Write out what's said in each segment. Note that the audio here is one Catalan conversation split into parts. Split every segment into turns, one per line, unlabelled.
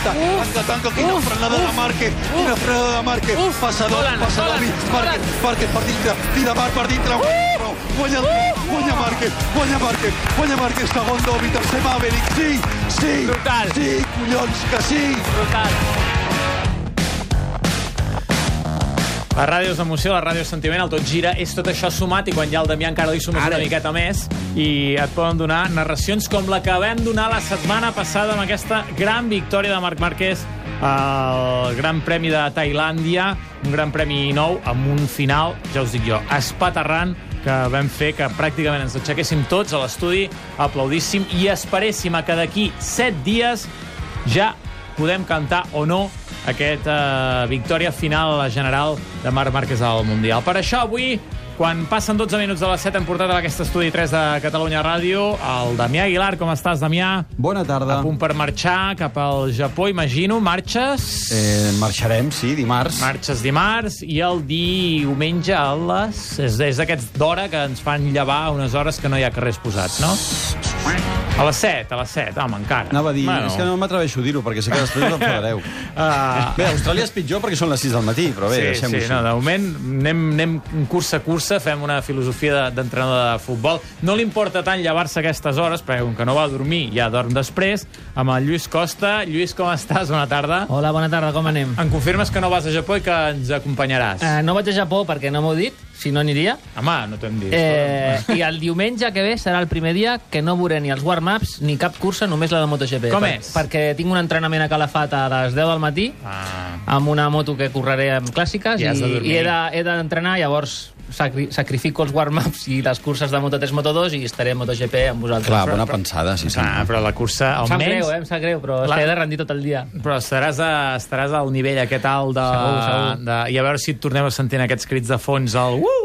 tanca, quina frenada de Márquez, passa Dovi, Márquez per dintre, tira Marc per dintre, guanya Márquez, segon Dovi, tercer Maverick, sí,
brutal.
Sí, collons, que sí.
Brutal. La ràdio és emoció, la ràdio és sentiment, el tot gira, és tot això sumat, i quan hi ha el Damià encara li sumes una miqueta més, i et poden donar narracions com la que vam donar la setmana passada amb aquesta gran victòria de Marc Márquez al Gran Premi de Tailàndia, un Gran Premi nou, amb un final, ja us dic jo, espaterrant, que vam fer que pràcticament ens aixequéssim tots a l'estudi, aplaudíssim i esperéssim a que d'aquí 7 dies ja podem cantar o no aquesta victòria final general de Marc Márquez al Mundial. Per això avui, quan passen 12 minuts de les 7, hem portat a aquest estudi 3 de Catalunya Ràdio el Damià Aguilar. Com estàs, Damià?
Bona tarda.
A punt per marxar cap al Japó, imagino. Marxes?
Marxarem, sí, dimarts.
Marxes dimarts i el diumenge a les... És d'aquests d'hora que ens fan llevar unes hores que no hi ha carrers posats, no? A les 7, home, encara.
Anava a dir, és que no m'atreveixo a dir-ho, perquè sé que després us enfadareu. Bé, Austràlia és pitjor perquè són les 6 del matí, però bé, deixem-ho així.
No, de moment anem cursa a cursa, fem una filosofia d'entrenador de futbol. No li importa tant llevar-se a aquestes hores, perquè com que no va a dormir, ja dorm després, amb el Lluís Costa. Lluís, com estàs? Bona tarda.
Hola, bona tarda, com anem?
Em confirmes que no vas a Japó i que ens acompanyaràs?
No vaig a Japó perquè no m'ho dit, si no aniria.
Home, no t'ho hem dit.
I el diumenge que ve serà el primer dia que no veuré ni els warm-ups ni cap cursa, només la de MotoGP.
Com és?
Perquè tinc un entrenament a Calafat a les 10 del matí, amb una moto que correré amb clàssiques, i he d'entrenar, llavors sacrifico els warm-ups i les curses de Moto3, Moto2 i estaré a MotoGP amb vosaltres.
Clar, bona pensada, sí.
Però la cursa, almenys...
Em sap greu, però he de rendir tot el dia.
Però estaràs al nivell aquest alt de...
Segur.
I a veure si et tornem a sentir aquests crits de fons,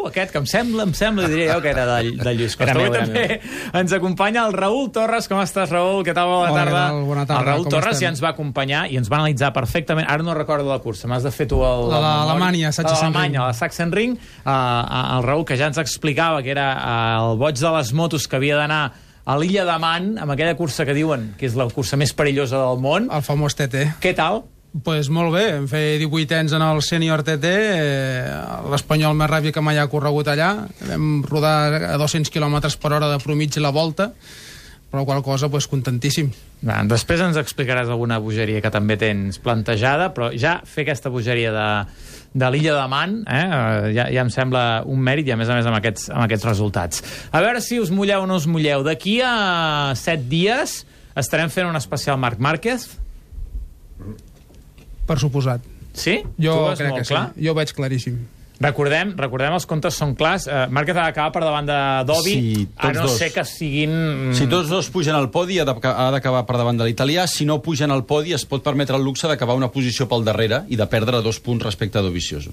aquest que em sembla, i diria jo que era de Lluís Costa. Avui també ens acompanya el Raül Torres. Com estàs, Raül? Què tal? Bona tarda.
Bona tarda.
El Raül Torres ja ens va acompanyar i ens va analitzar perfectament. Ara no recordo la cursa, m'has de fer tu el...
La d'Alemanya,
la Sachsenring. El Raül, que ja ens explicava que era el boig de les motos que havia d'anar a l'illa de Man, amb aquella cursa que diuen que és la cursa més perillosa del món.
El famós TT.
Què tal?
Pues molt bé, vam fer 18 anys en el sènior TT, l'espanyol més ràpid que mai ha corregut allà. Vam rodar a 200 km per hora de promig la volta, però qual cosa, pues, contentíssim.
Després ens explicaràs alguna bogeria que també tens plantejada, però ja fer aquesta bogeria de l'illa de Man ja em sembla un mèrit, i a més amb aquests resultats. A veure si us mulleu o no us mulleu. D'aquí a 7 dies estarem fent un especial Marc Márquez?
Per suposat.
Sí?
Jo crec que sí. Jo ho veig claríssim.
Recordem, els comptes són clars. Márquez ha d'acabar per davant de Dovi, a no ser que siguin...
Si tots dos pugen al podi, ha d'acabar per davant de l'italià. Si no pugen al podi, es pot permetre el luxe d'acabar una posició pel darrere i de perdre 2 punts respecte a Dovizioso.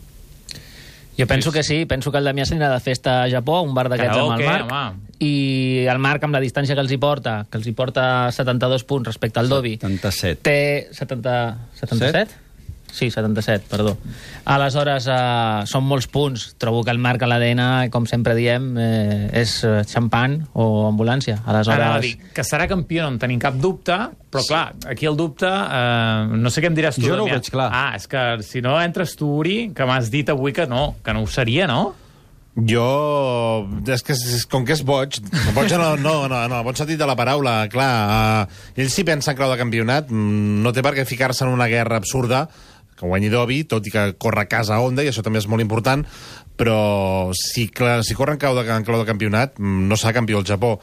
Jo penso que sí, penso que el Damià s'anirà de festa a Japó, un bar d'aquests amb el Marc, i el Marc, amb la distància que els hi porta 72 punts respecte al Dovi.
77.
Té 77? Sí, 77, perdó. Aleshores, són molts punts. Trobo que el Marc a l'ADN, com sempre diem, és xampan o ambulància.
Aleshores... que serà campió, no en tenim cap dubte, però clar, aquí el dubte... no sé què em diràs tu,
Jo no ho veig clar.
És que si no entres tu, Uri, que m'has dit avui que no ho seria, no?
Jo... És que com que és boig no, bon sentit de la paraula, clar, ell si pensa en clau de campionat, no té per què ficar-se en una guerra absurda que guanyi Dovi, tot i que corre a casa Honda, i això també és molt important, però si corre en clau de campionat, no serà campió al Japó,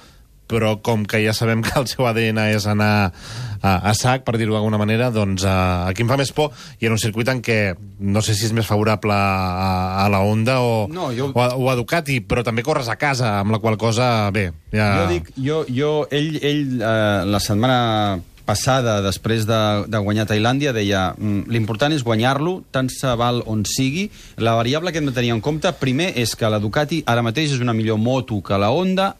però com que ja sabem que el seu ADN és anar a sac, per dir-ho d'alguna manera, doncs aquí em fa més por, i en un circuit en què no sé si és més favorable a la Honda o a Ducati, però també corres a casa, amb la qual cosa, bé... Ja...
Ell la setmana passada, després de guanyar Tailàndia, deia l'important és guanyar-lo, tant se val on sigui. La variable que hem de tenir en compte, primer, és que la Ducati ara mateix és una millor moto que la Honda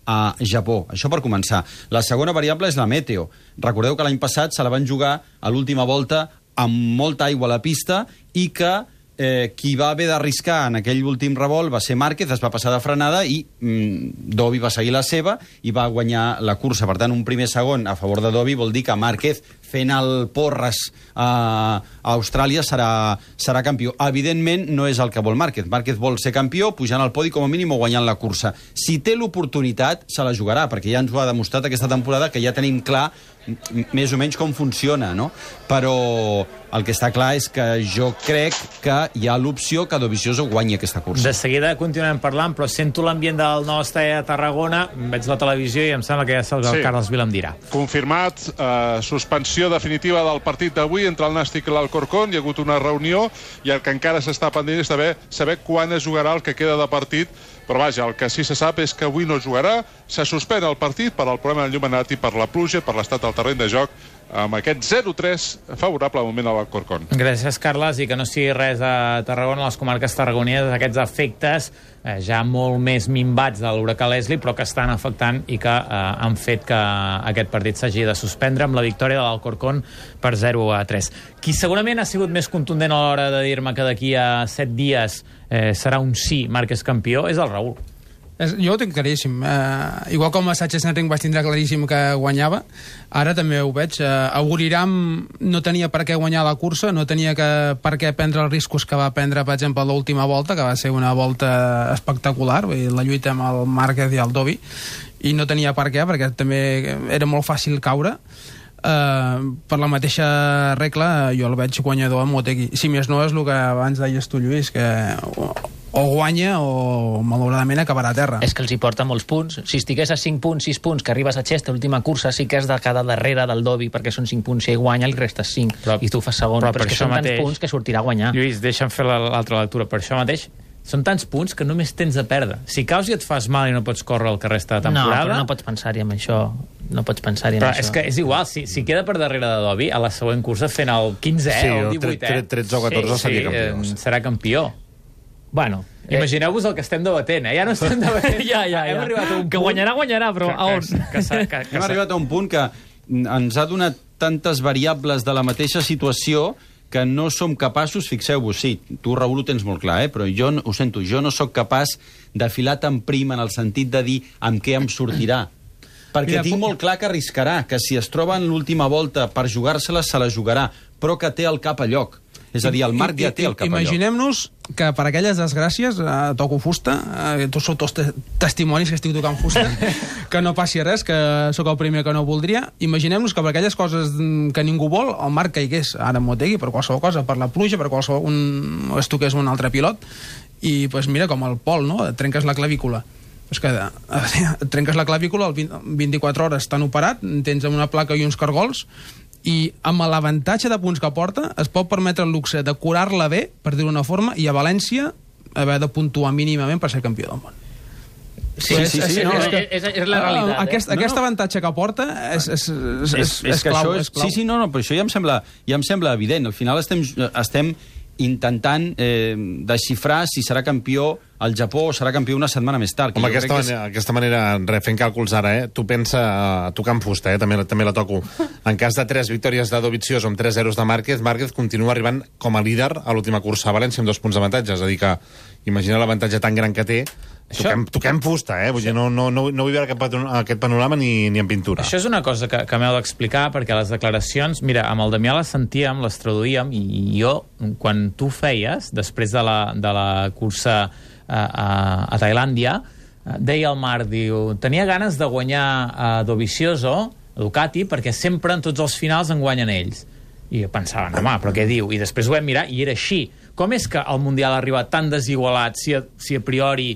a Japó. Això per començar. La segona variable és la meteo. Recordeu que l'any passat se la van jugar a l'última volta amb molta aigua a la pista i que qui va haver d'arriscar en aquell últim revolt va ser Márquez, es va passar de frenada i Dovi va seguir la seva i va guanyar la cursa. Per tant, un primer segon a favor de Dovi vol dir que Márquez fent el porres a Austràlia serà campió. Evidentment, no és el que vol Márquez. Márquez vol ser campió, pujant al podi com a mínim o guanyant la cursa. Si té l'oportunitat, se la jugarà, perquè ja ens ho ha demostrat aquesta temporada, que ja tenim clar més o menys com funciona, no? Però el que està clar és que jo crec que hi ha l'opció que Dovizioso guanyi aquesta cursa.
De seguida continuem parlant, però sento l'ambient del nou estadi de Tarragona, veig la televisió i em sembla que ja el Carles Vila em dirà.
Confirmat, suspensió definitiva del partit d'avui entre el Nàstic i l'Alcorcón. Hi ha hagut una reunió i el que encara s'està pendent és saber quan es jugarà el que queda de partit. Però vaja, el que sí se sap és que avui no jugarà, se suspèn el partit per al problema d'enllumenat i per la pluja, per l'estat del terreny de joc, amb aquest 0-3 favorable al moment a l'Alcorcón.
Gràcies, Carles, i que no sigui res a Tarragona, a les comarques tarragoneses, aquests efectes ja molt més minvats de l'huracà Leslie, però que estan afectant i que han fet que aquest partit s'hagi de suspendre amb la victòria de l'Alcorcón per 0-3. Qui segurament ha sigut més contundent a l'hora de dir-me que d'aquí a 7 dies serà un sí, Márquez campió, és el Raül.
Jo ho tinc claríssim. Igual com a Sánchez-Enric vaig tindre claríssim que guanyava, ara també ho veig. Auguriram no tenia per què guanyar la cursa, no tenia per què prendre els riscos que va prendre, per exemple, l'última volta, que va ser una volta espectacular, la lluita amb el Márquez i el Dovi, i no tenia per què, perquè també era molt fàcil caure. Per la mateixa regla jo el veig guanyador amb Motegi. Si més no és el que abans deies tu, Lluís, que o guanya o malauradament acabarà a terra.
És que els hi porta molts punts. Si estigués a 5 punts, 6 punts, que arribes a Chester, l'última cursa, sí que has de quedar darrere del Dovi, perquè són 5 punts, si ell guanya li restes 5, i tu fas segon, però és que són tants punts que sortirà a guanyar.
Lluís, deixa'm fer l'altra lectura. Per això mateix, són tants punts que només tens a perdre. Si caus i et fas mal i no pots córrer el que resta de temporada...
No, però no pots pensar-hi en això. No pots pensar-hi en
però
això.
És que és igual, si queda per darrere de Dovi, a la següent cursa fent el 15è o el 18è...
13 o 14 seria campió.
Serà campió.
Bueno...
Imagineu-vos el que estem debatent, Ja no estem debatent.
ja.
Hem arribat a un
que
punt...
guanyarà, però a on?
Hem arribat a un punt que ens ha donat tantes variables de la mateixa situació que no som capaços, fixeu-vos, sí, tu, Raül, ho tens molt clar, però jo ho sento, jo no sóc capaç de filar tan prim en el sentit de dir amb què em sortirà. Perquè tinc molt clar que arriscarà, que si es troba en l'última volta per jugar-se-la, se la jugarà, però que té el cap a lloc. És a dir, el Marc ja té el cap a lloc.
Imaginem-nos que per aquelles desgràcies toco fusta, tots sou tots testimonis que estic tocant fusta, que no passi res, que sóc el primer que no voldria. Imaginem-nos que per aquelles coses que ningú vol, el Marc caigués ara en Motegi, per qualsevol cosa, per la pluja, per qualsevol... es toqués un altre pilot, i pues, mira, com el Pol, no? Et trenques la clavícula. És que et trenques la clavícula, 24 hores t'han operat, tens una placa i uns cargols, i amb l'avantatge de punts que porta es pot permetre el luxe de curar-la bé, per dir-ho d'una forma, i a València haver de puntuar mínimament per ser campió del món.
Sí, és la realitat.
Aquest avantatge que porta és clau.
Sí, però això ja em sembla evident. Al final estem intentant desxifrar si serà campió al Japó o serà campió una setmana més tard.
Home, aquesta manera, fent càlculs ara, tu pensa, tocant fusta, també la toco. En cas de 3 victòries de Dovizioso amb 3 0 de Márquez, Márquez continua arribant com a líder a l'última cursa a València amb 2 punts d'avantatge. És a dir que, imagina l'avantatge tan gran que té, toquem fusta, vull dir, no vull veure aquest panorama ni en pintura.
Això és una cosa que m'heu d'explicar, perquè les declaracions, mira, amb el Damià les sentíem, les traduïem, i jo, quan tu feies, després de la cursa a Tailàndia, deia el Marc, diu, tenia ganes de guanyar a Dovizioso, a Ducati, perquè sempre en tots els finals en guanyen ells. I jo pensava, no, home, però què diu? I després ho vam mirar i era així. Com és que el Mundial ha arribat tan desigualat si a priori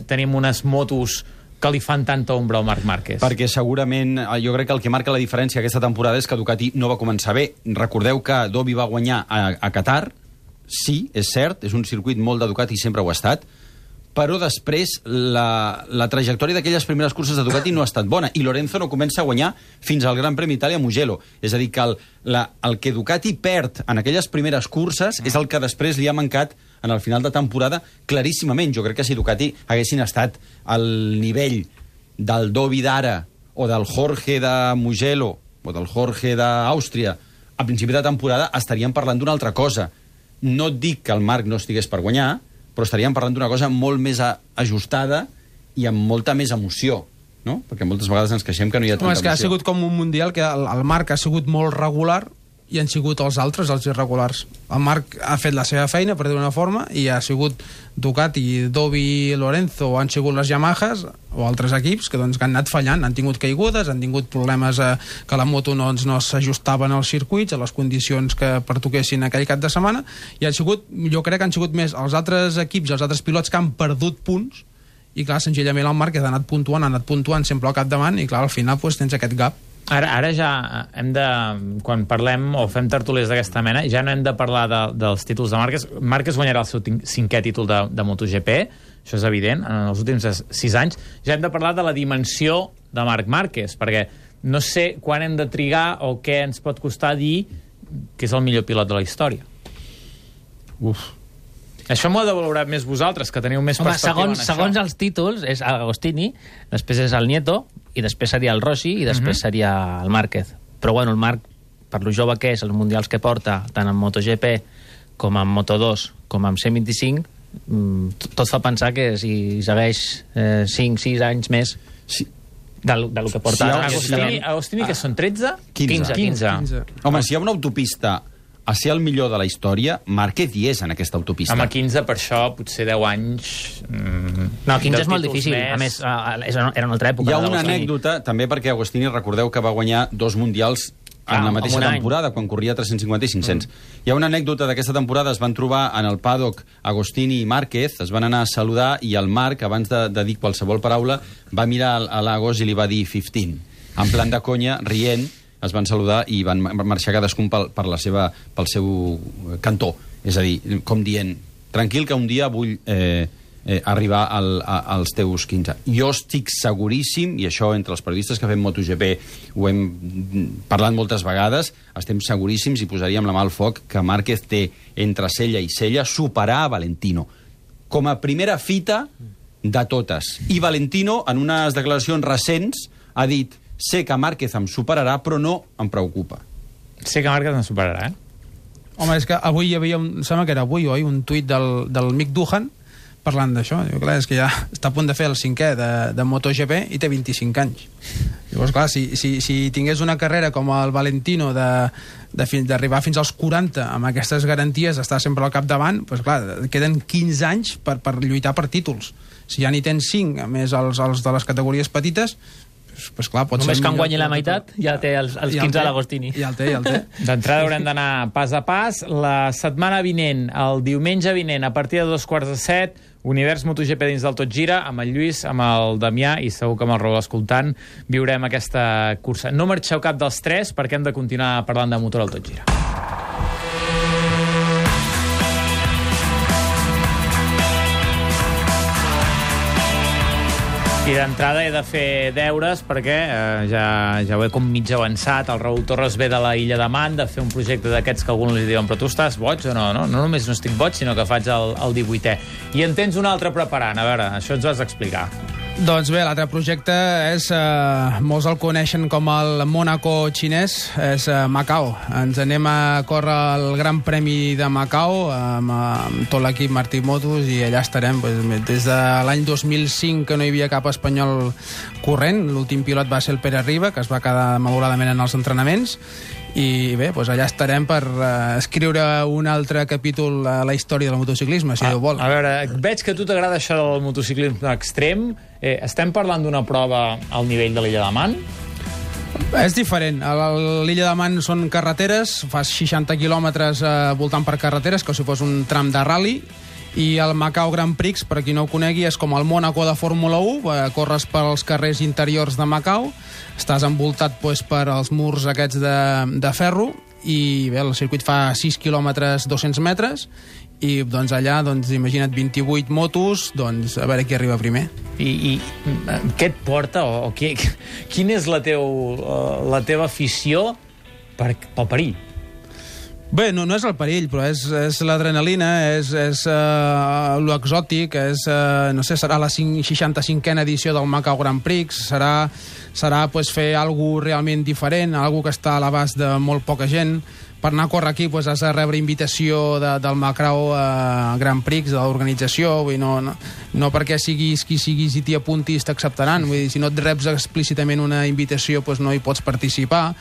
tenim unes motos que li fan tanta ombra al Marc Márquez?
Perquè segurament, jo crec que el que marca la diferència aquesta temporada és que Ducati no va començar bé. Recordeu que Dovi va guanyar a Qatar, sí, és cert, és un circuit molt de Ducati i sempre ho ha estat, però després la trajectòria d'aquelles primeres curses de Ducati no ha estat bona, i Lorenzo no comença a guanyar fins al Gran Premi d'Itàlia a Mugello. És a dir, que el que Ducati perd en aquelles primeres curses és el que després li ha mancat en el final de temporada claríssimament. Jo crec que si Ducati haguessin estat al nivell del Dovi d'ara o del Jorge de Mugello o del Jorge d'Àustria a principi de temporada, estaríem parlant d'una altra cosa. No et dic que el Marc no estigués per guanyar, però estaríem parlant d'una cosa molt més ajustada i amb molta més emoció. no? Perquè moltes vegades ens queixem que no hi ha tanta
és que ha
emoció.
sigut com un mundial que el Marc ha sigut molt regular i han sigut els altres, els irregulars. El Marc ha fet la seva feina, per dir una forma, i ha sigut Ducati, Dovi, Lorenzo, han sigut les Yamahas o altres equips que, doncs, que han anat fallant, han tingut caigudes, han tingut problemes que la moto no s'ajustaven als circuits, a les condicions que pertoquessin aquell cap de setmana, i han sigut, jo crec que han sigut més els altres equips i els altres pilots que han perdut punts, i clar, senzillament el Marc ha anat puntuant sempre al capdavant, i clar, al final doncs, tens aquest gap.
Ara ja hem de, quan parlem o fem tertúlies d'aquesta mena, ja no hem de parlar dels títols de Márquez. Márquez guanyarà el seu 5è títol de MotoGP, això és evident, en els últims 6 anys. Ja hem de parlar de la dimensió de Marc Márquez, perquè no sé quan hem de trigar o què ens pot costar dir que és el millor pilot de la història. Això m'ho heu de valorar més vosaltres, que teniu més perspectiva en això.
Segons els títols, és Agostini, després és el Nieto, i després seria el Rossi, i després seria el Márquez. Però bueno, el Marc, per lo jove que és, els mundials que porta, tant en MotoGP com en Moto2, com en 125, tot fa pensar que si segueix 5-6 anys més del que porta...
Agostini, que són 13?
15. Home, si hi ha una autopista a ser el millor de la història, Márquez hi és en aquesta autopista.
Home, 15, per això, potser 10 anys...
No, 15 és molt difícil. A més, era una altra època.
Hi ha una anècdota, també perquè Agostini, recordeu que va guanyar 2 mundials en la mateixa temporada, quan corria 350 i 500. Hi ha una anècdota d'aquesta temporada, es van trobar en el paddock Agostini i Márquez, es van anar a saludar, i el Marc, abans de dir qualsevol paraula, va mirar a l'Agos i li va dir 15. En plan de conya, rient, es van saludar i van marxar cadascun pel seu cantó. És a dir, com dient, tranquil, que un dia vull arribar als teus 15. Jo estic seguríssim, i això entre els periodistes que fem MotoGP ho hem parlat moltes vegades, estem seguríssims i posaríem la mà al foc que Márquez té entre cella i cella superar a Valentino. Com a primera fita de totes. I Valentino, en unes declaracions recents, ha dit: sé que Márquez em superarà, però no em preocupa.
Sé que Márquez em superarà,
Home, és que avui hi havia, sembla que era avui o ahir, un tuit del Mick Duhan parlant d'això. Clar, és que ja està a punt de fer el 5è de MotoGP i té 25 anys. Llavors, clar, si tingués una carrera com el Valentino d'arribar fins als 40 amb aquestes garanties, d'estar sempre al capdavant, doncs clar, queden 15 anys per lluitar per títols. Si ja n'hi tens 5, a més els de les categories petites, pues clar,
només que en guanyi la meitat ja té els 15 a l'Agostini.
Ja el té.
D'entrada haurem d'anar pas a pas. La setmana vinent, el diumenge vinent, a partir de 2:45, Univers MotoGP dins del Tot Gira, amb el Lluís, amb el Damià i segur que amb el Raúl escoltant viurem aquesta cursa. No marxeu cap dels 3 perquè hem de continuar parlant de motor al Tot Gira. I d'entrada he de fer deures perquè ja ho he com mig avançat. El Raúl Torres ve de la Illa de Man de fer un projecte d'aquests que alguns li diuen: però tu estàs boig o no? No només no estic boig, sinó que faig el 18è. I en tens un altre preparant. A veure, això ens ho has d'explicar.
Doncs bé, l'altre projecte és, molts el coneixen com el Mónaco xinès, és Macau. Ens anem a córrer el Gran Premi de Macau amb tot l'equip Martí Motos i allà estarem des de l'any 2005 que no hi havia cap espanyol corrent. L'últim pilot va ser el Pere Riba, que es va quedar malauradament en els entrenaments. I bé, doncs allà estarem per escriure un altre capítol a la història del motociclisme, si Déu vol.
A veure, veig que a tu t'agrada això del motociclisme extrem. Estem parlant d'una prova al nivell de l'Illa de Man?
És diferent. A l'Illa de Man són carreteres, fas 60 quilòmetres voltant per carreteres, com si fos un tram de rally, i el Macau Grand Prix, per qui no ho conegui, és com el Mónaco de Fórmula 1, corres pels carrers interiors de Macau, estàs envoltat per els murs aquests de ferro, i bé, el circuit fa 6 quilòmetres 200 metres, i doncs allà, imagina't 28 motos, a veure qui arriba primer.
I què et porta, o quina és la teva afició pel perill?
Bé, no és el perill, però és l'adrenalina, és l'exòtic, no sé, serà la 65a edició del Macau Grand Prix, serà fer alguna realment diferent, alguna que està a l'abast de molt poca gent, per anar a córrer aquí has de rebre invitació del Macau Grand Prix, de l'organització, vull dir, no perquè siguis qui siguis i t'hi apuntis t'acceptaran, vull dir, si no et reps explícitament una invitació no hi pots participar.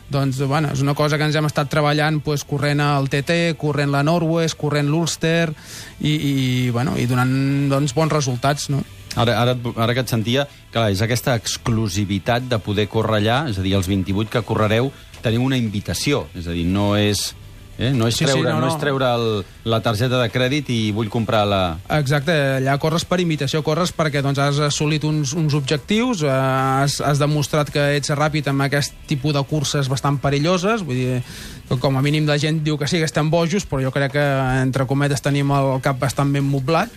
Doncs, bueno, és una cosa que ens hem estat treballant corrent el TT, corrent la Norwest, corrent l'Ulster i donant bons resultats, no?
Ara que et sentia, clar, és aquesta exclusivitat de poder córrer allà, és a dir, els 28 que correreu, teniu una invitació, és a dir, no és treure la targeta de crèdit i vull comprar la...
Exacte, allà corres per invitació, corres perquè has assolit uns objectius, has demostrat que ets ràpid amb aquest tipus de curses bastant perilloses, vull dir, com a mínim la gent diu que sí, que estem bojos, però jo crec que, entre cometes, tenim el cap bastant ben moblat,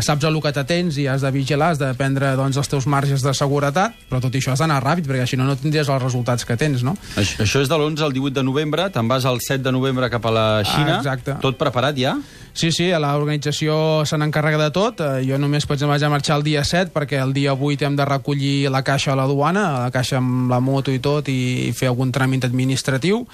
saps el que t'atens i has de vigilar, has de prendre els teus marges de seguretat, però tot això has d'anar ràpid, perquè si no tindries els resultats que tens, no?
Això és de l'11 al 18 de novembre, te'n vas el 7 de novembre cap a la Xina, tot preparat ja?
Sí, l'organització se n'encarrega de tot. Jo només vaig marxar el dia 7 perquè el dia 8 hem de recollir la caixa a la duana, la caixa amb la moto i tot, i fer algun tràmit administratiu,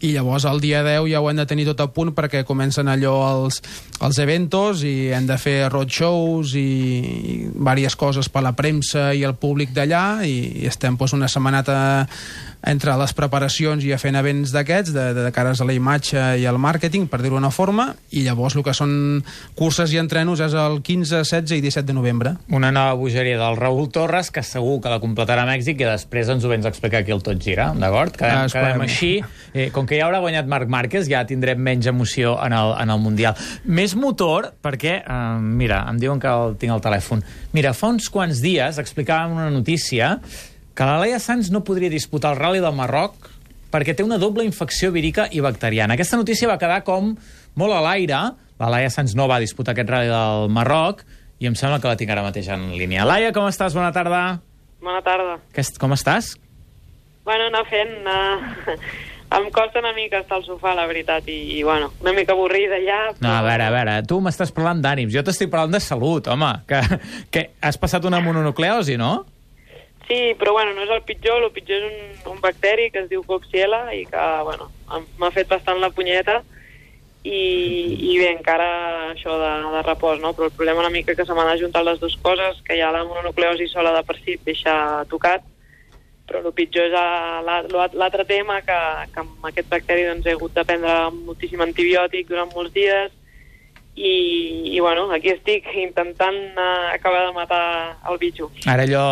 i llavors el dia 10 ja ho hem de tenir tot a punt perquè comencen els eventos i hem de fer roadshows i diverses coses per la premsa i el públic d'allà, i estem una setmaneta entre les preparacions i fent events d'aquests, de cares a la imatge i al màrqueting, per dir-ho d'una forma, i llavors el que són curses i entrenos és el 15, 16 i 17 de novembre.
Una nova bogeria del Raúl Torres, que segur que la completarà a Mèxic, i després ens ho vens a explicar aquí al Tot Gira, d'acord? Quedem així. Com que ja haurà guanyat Marc Márquez, ja tindrem menys emoció en el Mundial. Més motor, perquè, mira, em diuen que tinc al telèfon. Mira, fa uns quants dies explicàvem una notícia que la Laia Sanz no podria disputar el Rally del Marroc perquè té una doble infecció vírica i bacteriana. Aquesta notícia va quedar com molt a l'aire. La Laia Sanz no va disputar aquest Rally del Marroc i em sembla que la tinc ara mateix en línia. Laia, com estàs? Bona tarda.
Bona tarda.
Com estàs?
Bueno, anar fent... Em costa una mica estar al sofà, la veritat, i bueno, una mica avorrida ja. Però...
No, a veure, tu m'estàs parlant d'ànims. Jo t'estic parlant de salut, home. Que has passat una mononucleosi, no?
Sí, però bueno, no és el pitjor és un bacteri que es diu Coxiella i que, bueno, m'ha fet bastant la punyeta i bé, encara això de repòs, no? Però el problema una mica que se m'han ajuntat les dues coses, que ja la mononucleosi sola de per si et deixa tocat, però el pitjor és l'altre tema, que amb aquest bacteri doncs, he hagut de prendre moltíssim antibiòtic durant molts dies, i bueno, aquí estic intentant acabar de matar el bitxo.
Ara allò,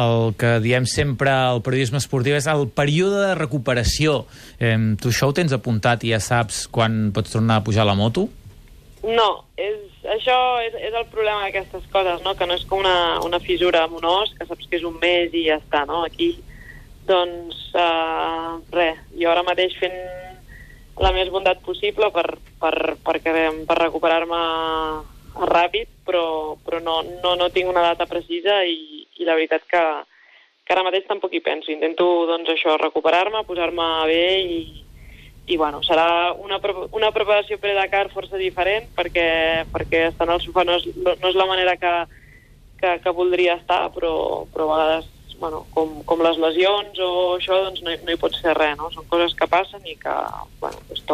el que diem sempre al periodisme esportiu és el període de recuperació. Tu això ho tens apuntat i ja saps quan pots tornar a pujar a la moto?
No, això és el problema d'aquestes coses, no? Que no és com una fissura amb un os, que saps que és un mes i ja està, no? Aquí, doncs, res, jo ara mateix fent la més bondat possible per recuperar-me ràpid, però no tinc una data precisa i la veritat que ara mateix tampoc hi penso. Intento, doncs, això, recuperar-me, posar-me bé i bueno, serà una preparació pre-Dakar força diferent perquè estar al sofà no és la manera que voldria estar, però a vegades, bueno, com les lesions o això, doncs no hi pots fer res, no? Són coses que passen i que, bueno, doncs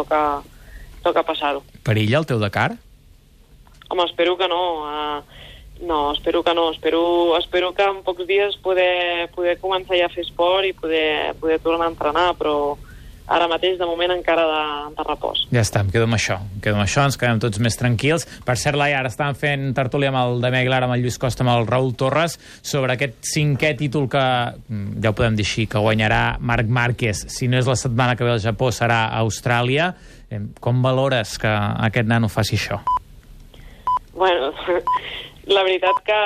toca passar-ho.
Perilla el teu Dakar?
Home, espero que no. No, espero que no. Espero que en pocs dies poder començar ja a fer esport i poder tornar a entrenar, però ara mateix, de moment, encara de repòs.
Ja està, em quedo amb això, ens quedem tots més tranquils. Per cert, Laia, ara estàvem fent tertúlia amb el Damià Aguilar, amb el Lluís Costa, amb el Raúl Torres, sobre aquest 5è títol que, ja ho podem dir així, que guanyarà Marc Márquez. Si no és la setmana que ve al Japó, serà a Austràlia. Com valores que aquest nano faci això?
Bueno, la veritat que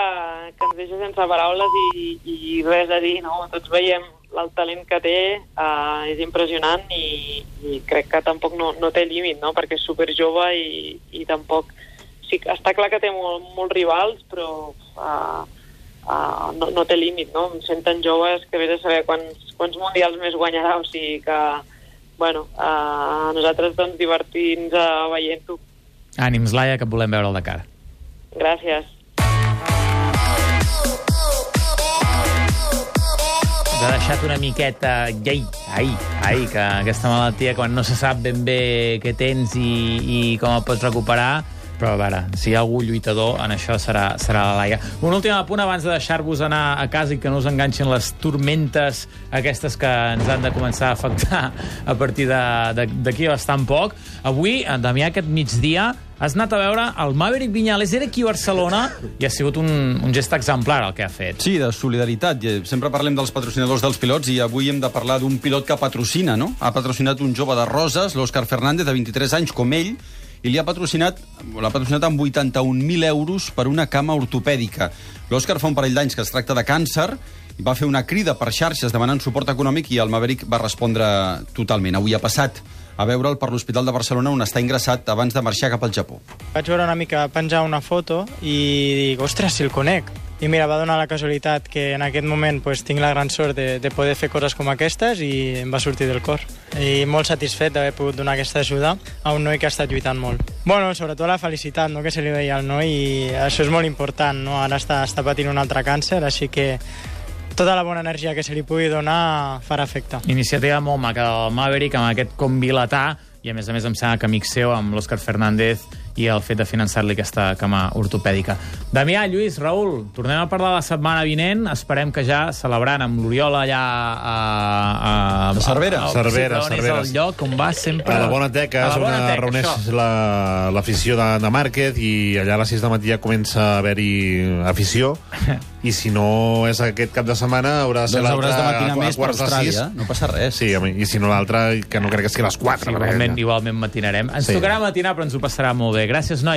ens deixa sense paraules i res a dir, no? Tots veiem el talent que té, és impressionant i crec que tampoc no té límit, no? Perquè és superjove i tampoc... Sí, està clar que té molts rivals, però no té límit, no? Sent tan joves que vés a saber quants mundials més guanyarà, o sigui que, bueno, nosaltres doncs divertir-nos veient-ho.
Ànims, Laia, que et volem veure al Dakar.
Gràcies.
ha deixat una miqueta... Ai, que aquesta malaltia, quan no se sap ben bé què tens i com el pots recuperar, però a veure, si hi ha algú lluitador, en això serà la Laia. Un últim apunt abans de deixar-vos anar a casa i que no us enganxin les tormentes aquestes que ens han de començar a afectar a partir d'aquí bastant poc. Avui, Damià, aquest migdia, has anat a veure el Maverick Viñales. Era aquí a Barcelona i ha sigut un gest exemplar el que ha fet.
Sí, de solidaritat. Sempre parlem dels patrocinadors dels pilots i avui hem de parlar d'un pilot que patrocina, no? Ha patrocinat un jove de Roses, l'Òscar Fernández, de 23 anys, com ell, i l'ha patrocinat amb 81.000 euros per una cama ortopèdica. L'Òscar fa un parell d'anys que es tracta de càncer i va fer una crida per xarxes demanant suport econòmic i el Maverick va respondre totalment. Avui ha passat a veure'l per l'Hospital de Barcelona on està ingressat abans de marxar cap al Japó.
Vaig veure una mica penjar una foto i dic, ostres, si el conec. I mira, va donar la casualitat que en aquest moment pues, tinc la gran sort de poder fer coses com aquestes i em va sortir del cor. I molt satisfet d'haver pogut donar aquesta ajuda a un noi que ha estat lluitant molt. Bueno, sobretot la felicitat, no?, que se li veia al noi i això és molt important, no? Ara està patint un altre càncer, així que tota la bona energia que se li pugui donar farà efecte.
Iniciativa molt maca del Maverick amb aquest convilatà i a més em sembla que amic seu amb l'Òscar Fernández i el fet de finançar-li aquesta cama ortopèdica. Damià, Lluís, Raül, tornem a parlar la setmana vinent. Esperem que ja celebrant amb l'Oriol allà a
Cervera.
Cervera.
És el lloc on va sempre...
A la Bona Teca, és on reuneix l'afició de Márquez i allà a les 6 del matí ja comença a haver-hi afició. I si no és aquest cap de setmana, haurà de ser l'altre a quarts de 6.
No passa res.
Sí, i si no l'altre, que no crec que sigui a les 4.
Igualment matinarem. Ens tocarà matinar, però ens ho passarà molt bé. Gràcies, nois.